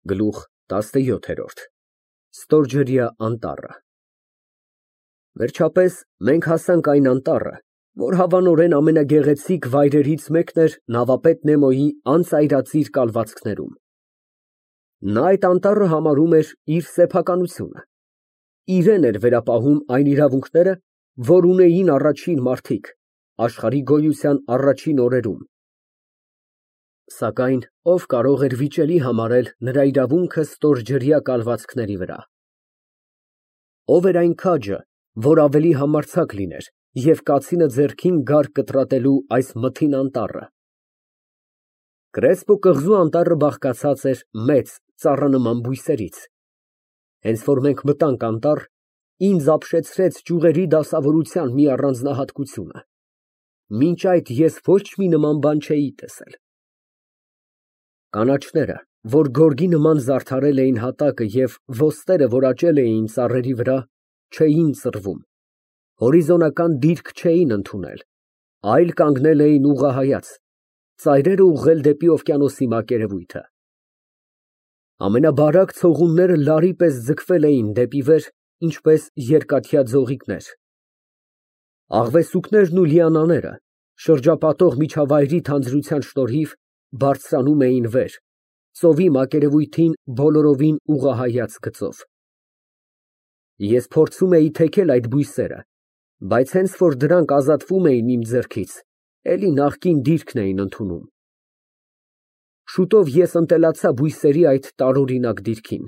Գլուխ 17 Ստորջրյա անտառը Վերջապես մենք հասանք այն անտառը, որ հավանորեն ամենագեղեցիկ վայրերից մեկն էր նավապետ Նեմոյի անծայրածիր կալվածքներում։ Նա այդ անտառը համարում էր իր սեփականությունը, իրեն էր վերապահում այն իրավունքները, որ ունեին առաջին մարդիկ, աշխարհի գոյության առաջին օրերում։ Սակայն ով կարող էր վիճելի համարել նրա իրավունքը ստորջրյա կալվածքների վրա։ Ով էր այն քաջը, որ ավելի համարձակ լիներ և կացինը ձեռքին գար կտրատելու այս մթին անտառը։ Կրեսպո կղզու անտառը բաղկացած էր մեծ ծառանման բույսերից։ Հենց որ մենք մտանք անտառ, ինձ ապշեցրեց ճյուղերի դասավորության մի առանձնահատկությունը։ Մինչ այդ ես ոչ մի նման բան չէի տեսել։ Կանաչները, որ գորգի նման զարդարել էին հատակը և ոստերը, որ աճել էին ծառերի վրա, չէին սրվում, հորիզոնական դիրք չէին ընդունել, այլ կանգնել էին ուղղահայաց, ծայրերը ուղղել դեպի օվկիանոսի մակերևույթը։ Ամենաբարակ ցողունները լարի պես ձգվել էին դեպի վեր, ինչպես երկաթյա ձողիկներ։ Աղվեսուկներն ու լիանաները, շրջապատող միջավայրի թանձրության շնորհիվ, բարձրանում էին վեր, ծովի մակերևույթին բոլորովին ուղղահայաց գծով։ Ես փորձում էի թեքել այդ բույսերը, բայց հենց որ դրանք ազատվում էին իմ ձեռքից, էլի նախկին դիրքն էին ընդունում։ Շուտով ես ընտելացա բույսերի այդ տարօրինակ դիրքին,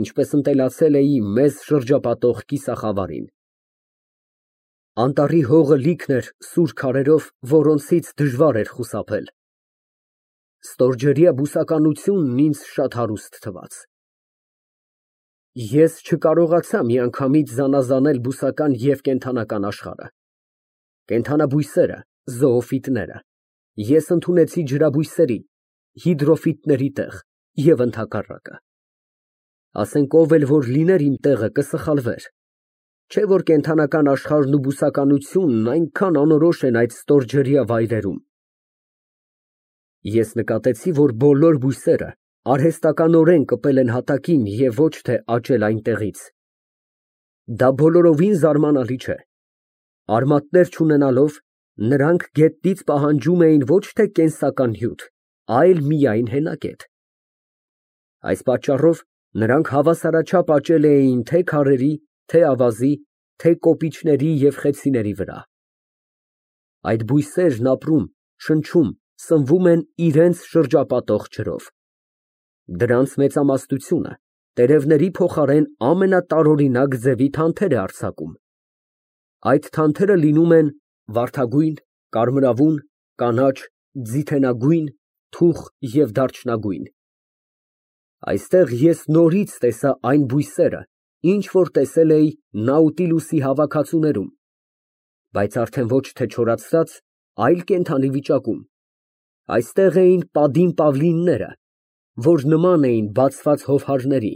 ինչպես ընտելացել էի մեզ շրջապատող կիսախավարին։ Անտառի հողը լիքն էր սուր քարերով, որոնցից դժվար էր խուսափել։ Ստորջրյա բուսականությունն ինձ շատ հարուստ թվաց։ Ես չկարողացա միանգամից զանազանել բուսական և կենդանական աշխարհը։ Կենդանաբույսերը, զոոֆիտները, ես ընդունեցի ջրաբույսերի, հիդրոֆիտների տեղ և ընդհակառակը։ Ասենք ով էլ որ լիներ իմ տեղը կսխալվեր, չէ որ կենդանական աշխարհն ու բուսականությունն այնքան անորոշ են այդ ստորջրյա վայրերում։ Ես նկատեցի, որ բոլոր բույսերը արհեստականորեն կպել են հատակին և ոչ թե աճել այնտեղից։ Դա բոլորովին զարմանալի չէ։ Արմատներ չունենալով, նրանք գետնից պահանջում էին ոչ թե կենսական հյութ, այլ միայն հենակետ։ Այս պատճառով նրանք հավասարաչափ աճել էին թե քարերի, թե ավազի, թե կոպիչների և խեցիների վրա։ Այդ բույսերն ապրում, շնչում, սնվում են իրենց շրջապատող ջրով։ Դրանց մեծամասնությունը տերևների փոխարեն ամենատարօրինակ ձևի թանթեր է արձակում։ Այդ թանթերը լինում են վարդագույն, կարմրավուն, կանաչ, ձիթենագույն, թուխ և դարչնագույն։ Այստեղ ես նորից տեսա այն բույսերը, ինչ որ տեսել էի Նաուտիլուսի հավաքածուներում, բայց արդեն ոչ թե չորացած, այլ կենդանի վիճակում։ Այստեղ էին պատին պավլինները, որ նման էին բացված հովհարների,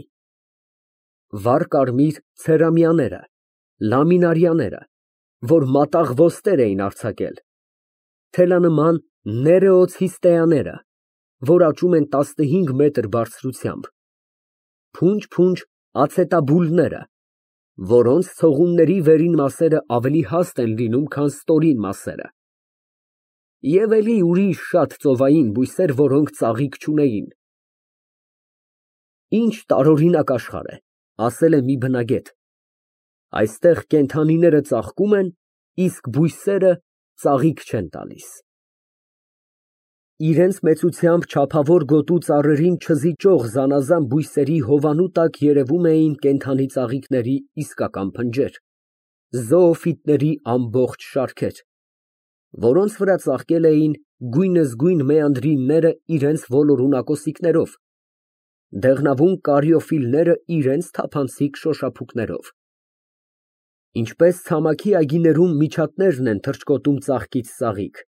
վառ կարմիր ցերամիաները, լամինարիաները, որ մատաղ ոստեր էին արձակել, թելանման ներեոցիստեաները, որ աճում են 15 մետր բարձրությամբ, փունջ ացետաբուլները, որոնց ցողունների վերին մասերը ավելի հաստ են լինում, քան ստորին մասերը, և էլի ուրիշ շատ ծովային բույսեր, որոնք ծաղիկ չունեին։ Ինչ տարօրինակ աշխարհ է, ասել է մի բնագետ, այստեղ կենդանիները ծաղկում են, իսկ բույսերը ծաղիկ չեն տալիս։ Իրենց մեծությամբ չափավոր գոտու ծառերին չզիջող զանազան բույսերի հովանու տակ երևում էին կենդանի ծաղիկների իսկական փնջեր, զոոֆիտների ամբողջ շարքեր, որոնց վրա ծաղկել էին գույնզգույն մեանդրինները իրենց ոլորուն ակոսիկներով, դեղնավուն կարիոֆիլները իրենց թափանցիկ շոշափուկներով։ Ինչպես ցամաքի այգիներում միջատներն են թռչկոտում ծաղկից ծաղիկ,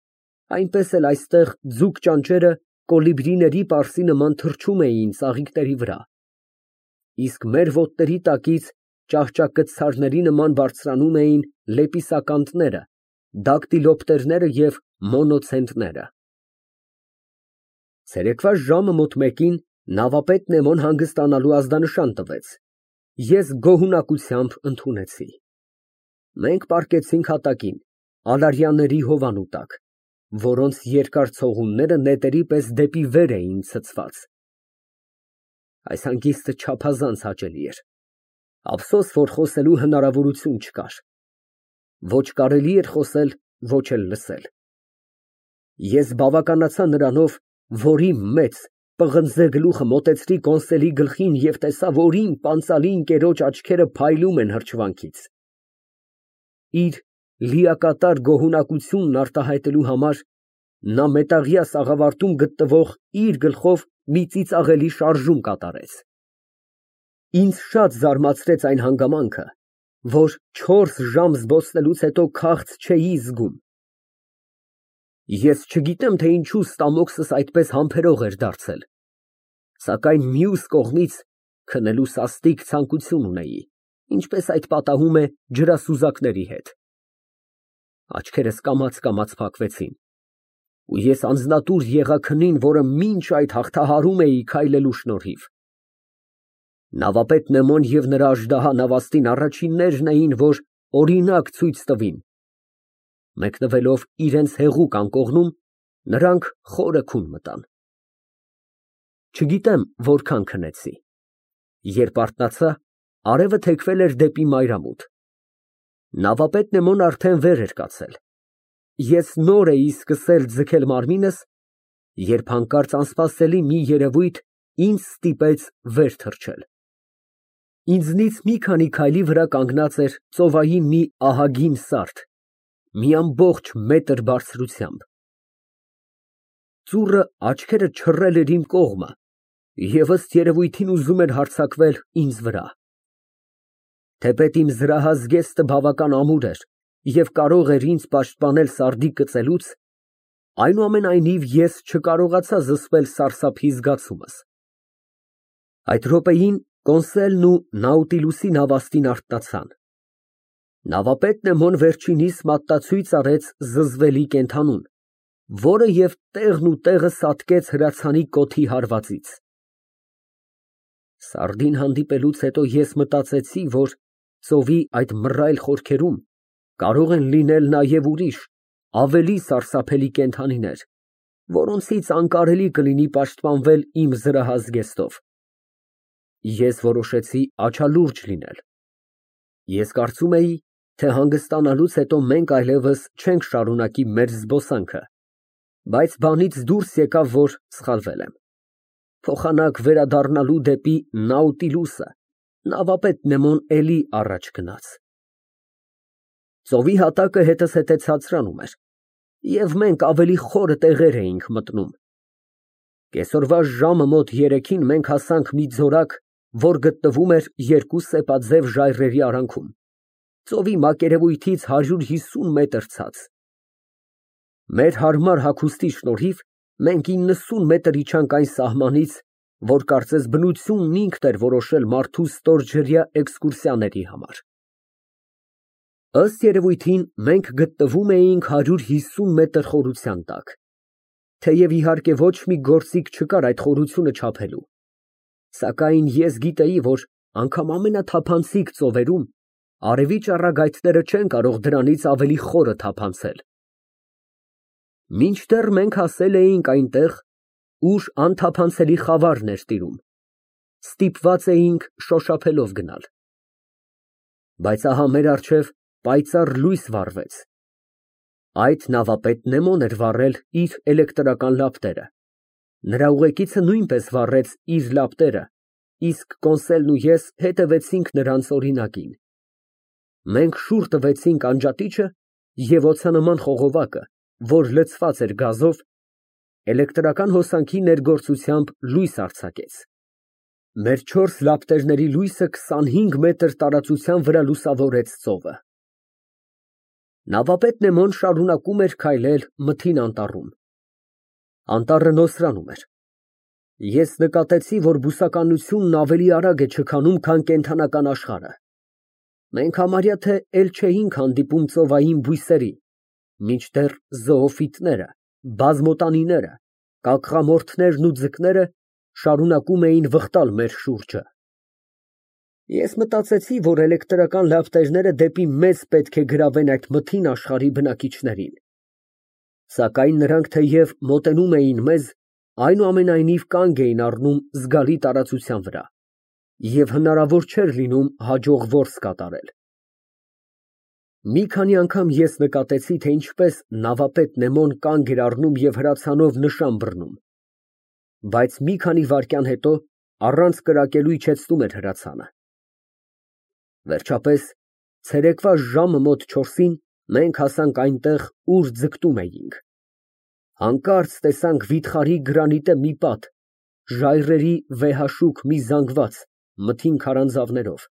այնպես էլ այստեղ ձուկ ճանճերը կոլիբրիների պարսի նման թռչում էին ծաղիկների վրա, իսկ մեր ոտների տակից ճահճակցարների նման բարձրանում էին լեպիսականտները, դակտիլոպտերները և մոնոցենտները։ Ցերեկվա ժամը մոտ մեկին Նավապետ Նեմոն հանգստանալու ազդանշան տվեց։ Ես գոհունակությամբ ընդունեցի։ Մենք պառկեցինք հատակին, ալարյանների հովանու տակ, որոնց երկար ցողունները նետերի պես դեպի վեր էին ցցված։ Այս հանգիստը չափազանց հաճելի էր։ Ափսոս, որ խոսելու հնարավորություն չկար։ Ոչ կարելի էր խոսել, ոչ էլ լսել։ Ես բավականացա նրանով, որ իմ մեծ պղնձե գլուխը մոտեցրի կոնսոլի գլխին և տեսա, որ իմ պանծալի ընկերոջ աչքերը փայլում են հրճվանքից։ Իր լիակատար գոհունակությունն արտահայտելու համար նա մետաղյա սաղավարտում գտնվող իր գլխով մի ծիծաղելի շարժում կատարեց։ Ինձ շատ զարմացրեց այն հանգամանքը, որ 4 ժամ զբոսնելուց հետո քաղց չէի զգում։ Ես չգիտեմ, թե ինչու ստամոքսս այդպես համբերող էր դարձել, սակայն մյուս կողմից քնելու սաստիկ ցանկություն ունեի, ինչպես այդ պատահում է ջրասուզակների հետ։ Աչքերս կամաց փակվեցին, ու ես անձնատուր եղա քնին, որը մինչ այդ հաղթահարում էի քայլելու շնորհիվ։ Նավապետ Նեմոն և նրա աժդահա նավաստին առաջիններն էին, որ օրինակ ցույց տվին։ Մեկնվելով իրենց հեղուկ անկողնում, նրանք խորը քուն մտան։ Չգիտեմ որքան քնեցի։ Երբ արթնացա, արևը թեքվել էր դեպի մայրամուտ։ Նավապետ Նեմոն արդեն վեր էր կացել։ Ես նոր էի սկսել ձգել մարմինս, երբ հանկարծ անսպասելի մի երևույթ ինձ ստիպեց վեր թռչել։ Ինձնից մի քանի քայլի վրա կանգնած էր ծովային մի ահագին սարդ, մի ամբողջ մետր բարձրությամբ։ Ծուռը աչքերը չռել էր իմ կողմը և ըստ երևույթին ուզում էր հարձակվել ինձ վրա։ Թեպետ իմ զրահա զգեստը բավական ամուր էր և կարող էր ինձ պաշտպանել սարդի կծելուց, այնուամենայնիվ ես չկարողացա զսպել սարսափի զգացումս։ Այդ րոպեին կոնսոլն ու Նաուտիլուսի նավաստին արթնացան։ Նավապետ Նեմոն վերջինիս մատնացույց արեց զզվելի կենդանուն, որը և տեղն ու տեղը սատկեց հրացանի կոթի հարվածից։ Սարդին հանդիպելուց հետո ես մտածեցի, որ ծովի այդ մռայլ խորքերում կարող են լինել նաև ուրիշ, ավելի սարսափելի կենդանիներ, որոնցից անկարելի կլինի պաշտպանվել իմ զրահազգեստով։ Ես որոշեցի աչալուրջ լինել։ Ես կարծում էի, թե հանգստանալուց հետո մենք այլևս չենք շարունակի մեր զբոսանքը, բայց բանից դուրս եկավ, որ սխալվել եմ։ Փոխանակ վերադառնալու դեպի Նաուտիլուսը, նավապետ Նեմոն էլի առաջ գնաց։ Ծովի հատակը հետս հետե ցածրանում էր, և մենք ավելի խորը տեղեր էինք մտնում։ Կեսօրվա ժամը մոտ 3-ին մենք հասանք մի ձորակ, որ գտնվում էր երկու սեպաձև ժայռերի արանքում, ծովի մակերևույթից 150 մետր ցած։ Մեր հարմար հագուստի շնորհիվ մենք 90 մետր իջանք այն սահմանից, որ կարծես բնությունն ինքն էր որոշել մարդու ստորջրյա էքսկուրսիաների համար։ Ըստ երևույթին մենք գտնվում էինք 150 մետր խորության տակ, թեև իհարկե ոչ մի գործիք չկար այդ խորությունը չափելու, սակայն ես գիտեի, որ անգամ ամենաթափանցիկ ծովերում արևի ճառագայթները չեն կարող դրանից ավելի խորը թափանցել։ Մինչդեռ մենք հասել էինք այնտեղ, ուր անթափանցելի խավարն էր տիրում, ստիպված էինք շոշափելով գնալ։ Բայց ահա մեր առջև պայծառ լույս վառվեց։ Այդ նավապետ Նեմոն էր վառել իր էլեկտրական լապտերը։ Նրա ուղեկիցը նույնպես վառեց իր լապտերը, իսկ կոնսոլն ու ես հետևեցինք նրանց օրինակին։ Մենք շուռ տվեցինք անջատիչը և օձանման խողովակը, որ լցված էր գազով, էլեկտրական հոսանքի ներգործությամբ լույս արձակեց։ Մեր 4 լապտերների լույսը 25 մետր տարածության վրա լուսավորեց ծովը։ Նավապետ Նեմոն շարունակում էր քայլել մթին անտառում։ Անտառը նոսրանում էր։ Ես նկատեցի, որ բուսականությունն ավելի արագ է չքանում, քան կենդանական աշխարհը։ Մենք համարյա թե էլ չէինք հանդիպում ծովային բույսերի, մինչդեռ զոոֆիտները, բազմոտանիները, կակղամորթներն ու ձկները շարունակում էին վխտալ մեր շուրջը։ Ես մտածեցի, որ էլեկտրական լապտերները դեպի մեզ պետք է գրավեն այդ մթին աշխարհի բնակիչներին։ Սակայն նրանք թեև մոտենում էին մեզ, այնուամենայնիվ կանգ էին առնում զգալի տարածության վրա, և հնարավոր չէր լինում հաջող որս կատարել։ Մի քանի անգամ ես նկատեցի, թե ինչպես նավապետ Նեմոն կանգ էր առնում և հրացանով նշան բռնում, բայց մի քանի վայրկյան հետո առանց կրակելու իջեցնում էր հրացանը։ Վերջապես, ցերեկվա ժամը մոտ 4-ին մենք հասանք այնտեղ, ուր ձգտում էինք։ Հանկարծ տեսանք վիթխարի գրանիտե մի պատ, ժայռերի վեհաշուք մի զանգված, մթին քարանձավներով։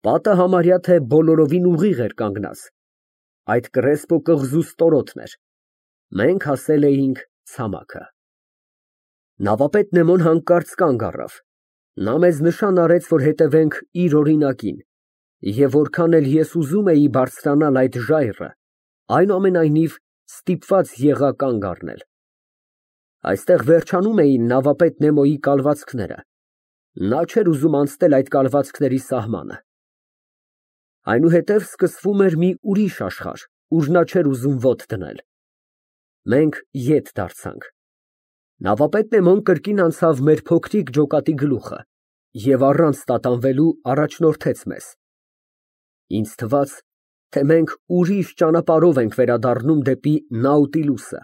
Պատը համարյա թե բոլորովին ուղիղ էր կանգնած, այդ կռեսպո կղզու ստորոտն էր։ Մենք հասել էինք ցամաքը։ Նավապետ Նեմոն հանկարծ կանգ առավ։ Նա մեզ նշան արեց, որ հետևենք իր օրինակին, և որքան էլ ես ուզում էի բարձրանալ այդ ժայռը, այնուամենայնիվ ստիպված եղա կանգ առնել։ Այստեղ վերջանում էին նավապետ Նեմոյի կալվածքները։ Նա չէր ուզում անցնել այդ կալվածքների սահմանը։ Այնուհետև սկսվում էր մի ուրիշ աշխարհ, ուր նա չէր ուզում ոտք դնել։ Մենք ետ դարձանք։ Նավապետ Նեմոն կրկին անցավ մեր փոքրիկ ջոկատի գլուխը և առանց տատանվելու առաջնորդեց մեզ։ Ինձ թվաց, թե մենք ուրիշ ճանապարհով ենք վերադառնում դեպի Նաուտիլուսը։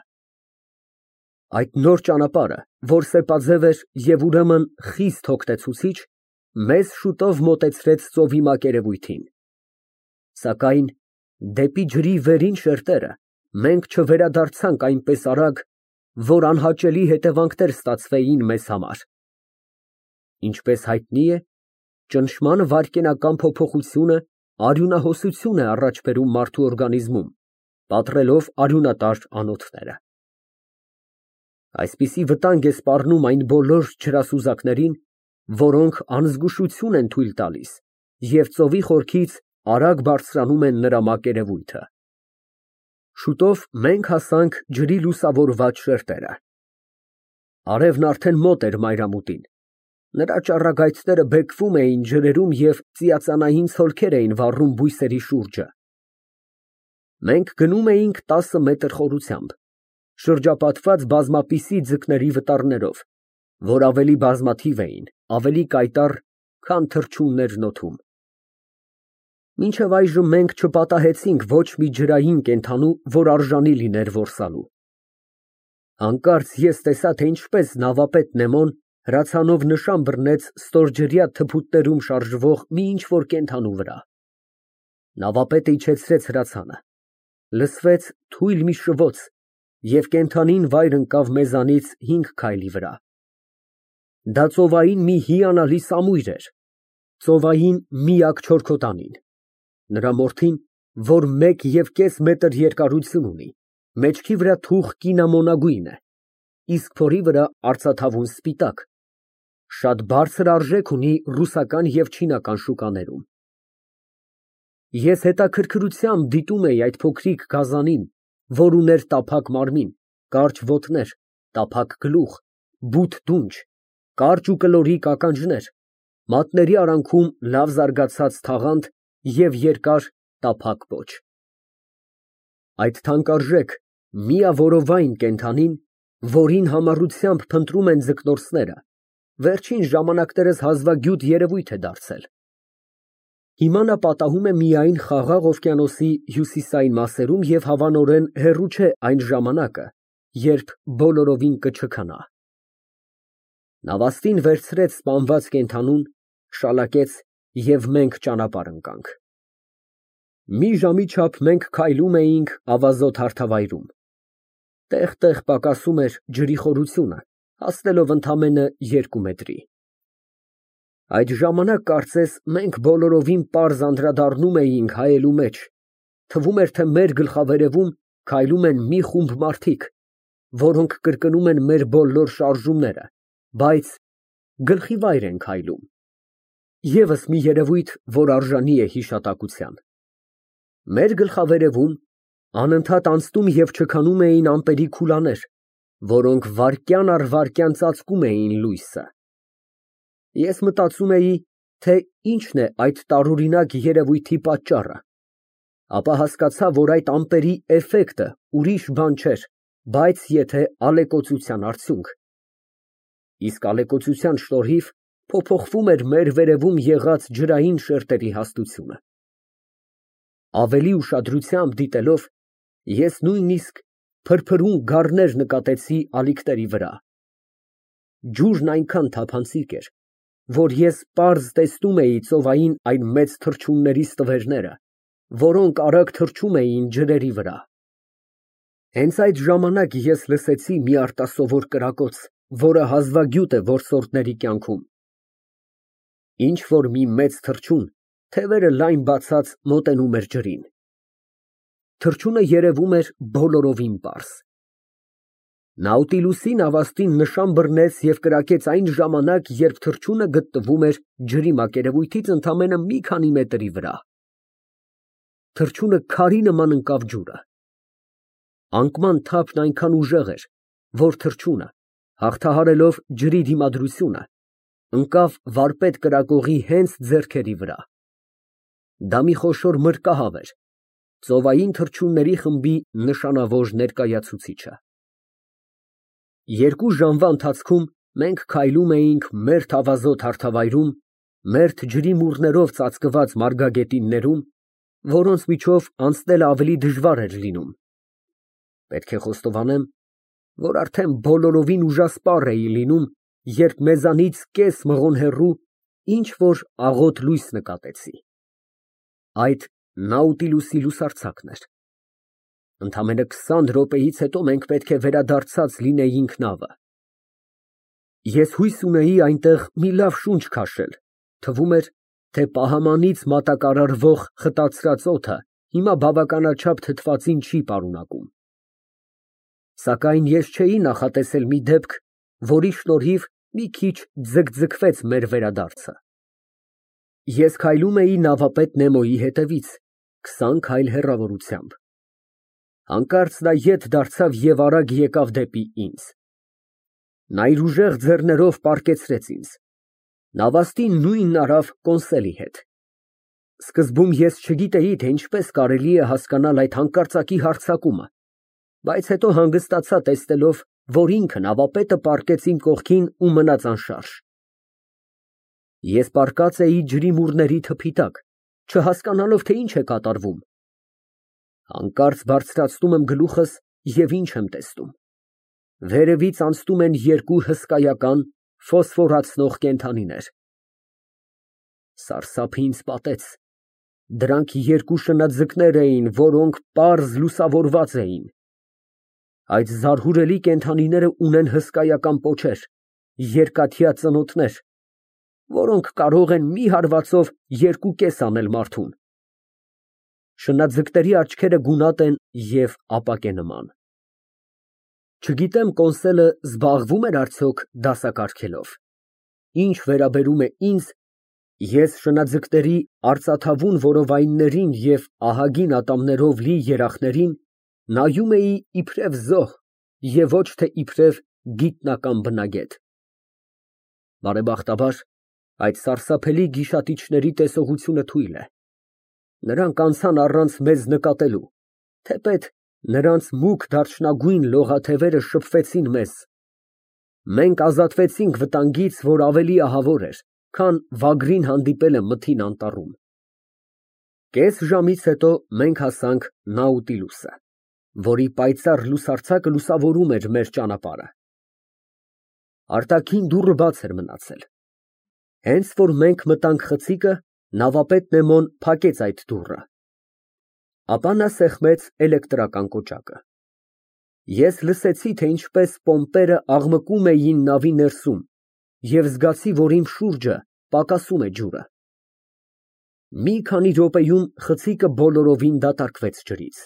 Այդ նոր ճանապարհը, որ սեպաձև էր և ուրեմն խիստ հոգնեցուցիչ, մեզ շուտով մոտեցրեց ծովի մակերևույթին։ Սակայն դեպի ջրի վերին շերտերը մենք չվերադարձանք այնպես արագ, որ անհաճելի հետևանքներ ստացվեին մեզ համար։ Ինչպես հայտնի է, ճնշման վայրկենական փոփոխությունը արյունահոսություն է առաջ բերում մարդու օրգանիզմում, պատռելով արյունատար անոթները։ Այսպիսի վտանգ է սպառնում այն բոլոր ջրասուզակներին, որոնք անզգուշություն են թույլ տալիս և ծովի խորքից արագ բարձրանում են նրա մակերևույթը։ Շուտով մենք հասանք ջրի լուսավորված շերտերը։ Արևն արդեն մոտ էր մայրամուտին։ Նրա ճառագայթները բեկվում էին ջրերում և ծիածանային ցոլքեր էին վառում բույսերի շուրջը։ Մենք գնում էինք 10 մետր խորությամբ, շրջապատված բազմապիսի ձկների վտարներով, որ ավելի բազմաթիվ էին, ավելի կայտառ, քան թռչուններն օդում։ Մինչև այժմ մենք չպատահեցինք ոչ մի ջրային կենդանու, որ արժանի լիներ որսալու։ Հանկարծ ես տեսա, թե ինչպես նավապետ Նեմոն հրացանով նշան բռնեց ստորջրյա թփուտներում շարժվող մի ինչ֊որ կենդանու վրա։ Նավապետը իջեցրեց հրացանը։ Լսվեց թույլ մի շվոց, և կենդանին վայր ընկավ մեզանից 5 քայլի վրա։ Դա ծովային մի հիանալի սամույր էր, ծովային միակ չորքոտանին։ Նրա մորթին, որ 1,5 մետր երկարություն ունի, մեջքի վրա թուխ կինամոնագույն է, իսկ փորի վրա արծաթավուն սպիտակ, շատ բարձր արժեք ունի ռուսական և չինական շուկաներում։ Ես հետաքրքրությամբ դիտում էի այդ փոքրիկ գազանին, որ ուներ տափակ մարմին, կարճ ոտներ, տափակ գլուխ, բութ դունչ, կարճ ու կլորիկ ականջներ, մատների արանքում լավ զարգացած թաղանթ և երկար տափակ պոչ։ Այդ թանկարժեք միավորովայն կենդանին, որին համառությամբ փնտրում են ձկնորսները, վերջին ժամանակներս հազվագյուտ երևույթ է դարձել։ Հիմա նա պատահում է միայն Խաղաղ օվկիանոսի հյուսիսային մասերում և հավանորեն հեռու չէ այն ժամանակը, երբ բոլորովին կչքանա։ Նավաստին վերցրեց սպանված կենդանուն, շալակեց և մենք ճանապարհ ընկանք։ Մի ժամի չափ մենք քայլում էինք ավազոտ հարթավայրում։ Տեղ֊տեղ պակասում էր ջրի խորությունը, հասնելով ընդամենը 2 մետրի։ Այդ ժամանակ կարծես մենք բոլորովին պարզ անդրադառնում էինք հայելու մեջ, թվում էր, թե մեր գլխավերևում քայլում են մի խումբ մարդիկ, որոնք կրկնում են մեր բոլոր շարժումները, բայց գլխիվայր են քայլում։ Եվս մի երևույթ, որ արժանի է հիշատակության։ Մեր գլխավերևում անընդհատ անցնում և չքանում էին ամպերի քուլաներ, որոնք վայրկյան առ վայրկյան ծածկում էին լույսը։ Ես մտածում էի, թե ինչն է այդ տարօրինակ երևույթի պատճառը, ապա հասկացա, որ այդ ամպերի էֆեկտը ուրիշ բան չէր, բայց եթե ալեկոծության արդյունք։ Իսկ ալեկոծության շնորհիվ փոփոխվում էր մեր վերևում եղած ջրային շերտերի հաստությունը։ Ավելի ուշադրությամբ դիտելով, ես նույնիսկ փրփրուն գառներ նկատեցի ալիքների վրա։ Ջուրն այնքան թափանցիկ էր, որ ես պարզ տեսնում էի ծովային այն մեծ թռչունների ստվերները, որոնք արագ թռչում էին ջրերի վրա։ Հենց այդ ժամանակ ես լսեցի մի արտասովոր կրակոց, որը հազվագյուտ է որսորդների կյանքում։ Ինչ որ մի մեծ թռչուն, թևերը լայն բացած, մոտենում էր ջրին։ Թռչունը երևում էր բոլորովին պարզ։ Նաուտիլուսի նավաստին նշան բռնեց և կրակեց այն ժամանակ, երբ թռչունը գտնվում էր ջրի մակերևույթից ընդամենը մի քանի մետրի վրա։ Թռչունը քարի նման ընկավ ջուրը։ Անկման թափն այնքան ուժեղ էր, որ թռչունը, հաղթահարելով ջրի դիմադրությունը, ընկավ վարպետ կրակողի հենց ձեռքերի վրա։ Դա մի խոշոր մրրկահավ էր, ծովային թռչունների խմբի նշանավոր ներկայացուցիչը։ 2 ժամվա ընթացքում մենք քայլում էինք մերթ ավազոտ հարթավայրում, մերթ ջրի մուրներով ծածկված մարգագետիններում, որոնց միջով անցնելը ավելի դժվար էր լինում։ Պետք է խոստովանեմ, որ արդեն բոլորովին ուժասպառ էի լինում, երբ մեզանից կես մղոն հեռու ինչ-որ աղոտ լույս նկատեցի։ Այդ Նաուտիլուսի լուսարձակն էր։ Ընդամենը 20 րոպեից հետո մենք պետք է վերադարձած լինեինք նավը։ Ես հույս ունեի այնտեղ մի լավ շունչ քաշել, թվում էր, թե պահամանից մատակարարվող խտացրած օդը հիմա բավականաչափ թթվածին չի պարունակում։ Սակայն ես չէի նախատեսել մի դեպք, որի շնորհիվ մի քիչ ձգձգվեց մեր վերադարձը։ Ես քայլում էի նավապետ Նեմոյի հետևից, 20 քայլ հեռավորությամբ։ Հանկարծ նա ետ դարձավ և արագ եկավ դեպի ինձ։ Նա իր ուժեղ ձեռներով պառկեցրեց ինձ։ Նավաստին նույնն արավ կոնսելի հետ։ Սկզբում ես չգիտեի, թե ինչպես կարելի է հասկանալ այդ հանկարծակի հարձակումը, բայց հետո հանգստացա տեսնելով, որ ինքը նավապետը պառկեց իմ կողքին ու մնաց անշարժ։ Ես պառկած էի ջրի մուրների թփի տակ, չհասկանալով, թե ինչ է կատարվում։ Հանկարծ բարձրացնում եմ գլուխս և ինչ եմ տեսնում։ Վերևից անցնում են 2 հսկայական ֆոսֆորացնող կենդանիներ։ Սարսափը ինձ պատեց։ Դրանք 2 շնաձկներ էին, որոնք պարզ լուսավորված էին։ Այդ զարհուրելի կենդանիները ունեն հսկայական պոչեր, երկաթյա ծնոտներ, որոնք կարող են մի հարվածով 2 կես անել մարդուն։ Շնաձկների աչքերը գունատ են և ապակենման։ Չգիտեմ կոնսելը զբաղվում էր արդյոք դասակարգելով։ Ինչ վերաբերում է ինձ, ես շնաձկների արծաթավուն որովայններին և ահագին ատամներով լի երախներին նայում էի իբրև զոհ և ոչ թե իբրև գիտնական բնագետ։ Բարեբախտաբար, այդ սարսափելի գիշատիչների տեսողությունը թույլ է։ Նրանք անցան առանց մեզ նկատելու, թեպետ նրանց մուգ դարչնագույն լողաթևերը շփվեցին մեզ։ Մենք ազատվեցինք վտանգից, որ ավելի ահավոր էր, քան վագրին հանդիպելը մթին անտառում։ Կես ժամից հետո մենք հասանք Նաուտիլուսը, որի պայծառ լուսարձակը լուսավորում էր մեր ճանապարհը։ Արտաքին դուռը բաց էր մնացել։ Հենց որ մենք մտանք խցիկը, նավապետ Նեմոն փակեց այդ դուռը։ Ապա նա սեղմեց էլեկտրական կոճակը։ Ես լսեցի, թե ինչպես պոմպերը աղմկում էին նավի ներսում և զգացի, որ իմ շուրջը պակասում է ջուրը։ Մի քանի րոպեում խցիկը բոլորովին դատարկվեց ջրից։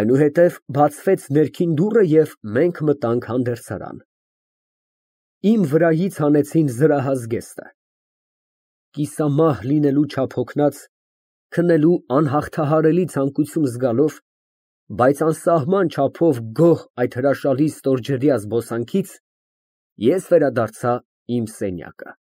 Այնուհետև բացվեց ներքին դուռը և մենք մտանք հանդերձարան։ Իմ վրայից հանեցին զրահազգեստը։ Կիսամահ լինելու չափ հոգնած, քնելու անհաղթահարելի ցանկություն զգալով, Բայց անսահման չափով գոհ այդ հրաշալի ստորջրյա զբոսանքից, ես վերադարձա իմ սենյակը։